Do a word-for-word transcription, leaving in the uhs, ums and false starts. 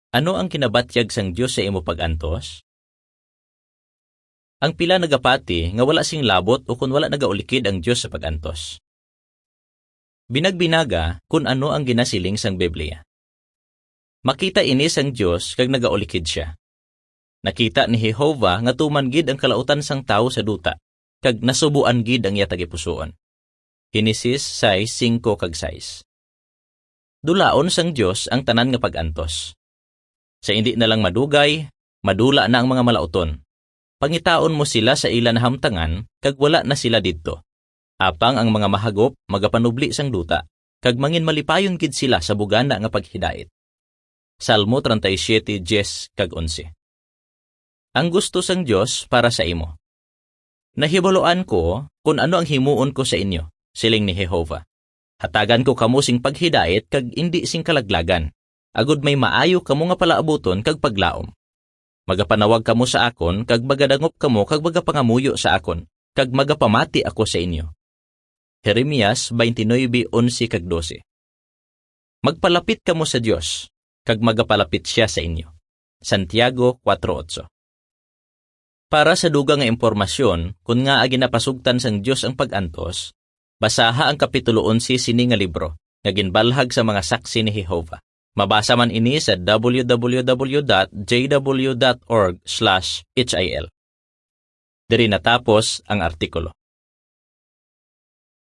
Ano ang kinabatyag sang Dios sa imo pag-antos? Ang pila nagapati nga wala sing labot ukon wala nagaulikid ang Dios sa pag-antos. Binagbinaga kun ano ang ginasiling sang Biblia. Makita ini sang Dios kag nagaulikid sia. Nakita ni Jehovah nga tuman gid ang kalautan sang tawo sa duta, kag nasubuan gid ang iya tagipusoon. Genesis sais, singko kag sais. Dulaon sang Dios ang tanan nga pag-antos. Sa indi na lang madugay, madula na ang mga malauton. Pangitaon mo sila sa ila nahamtangan, kag wala na sila didto. Apang ang mga mahagop magapanubli sang duta, kag manginmalipayon gid sila sa bugana nga paghidait. Salmo treinta y siete, diez kag onse. Ang gusto sang Dios para sa imo. Nahibaluan ko kon ano ang himuon ko sa inyo, siling ni Jehovah. Hatagan ko kamo sing paghidait kag indi sing kalaglagan, agod may maayo kamo nga palaabuton kag paglaom. Magapanawag kamo sa akon, kag magadangop kamo, kag magapangamuyo sa akon, kag magapamati ako sa inyo. Jeremias twenty-nine, onse kag dose. Magpalapit kamo sa Dios, kag magapalapit sia sa inyo. Santiago kuwatro otso. Para sa dugang nga impormasyon kon ngaa ginapasugtan sang Dios ang pag-antos, basaha ang Kapitulo onse sini nga libro nga ginbalhag sa mga Saksi ni Jehovah. Mabasa man ini sa w w w dot j w dot org slash h i l. Diri natapos ang artikulo.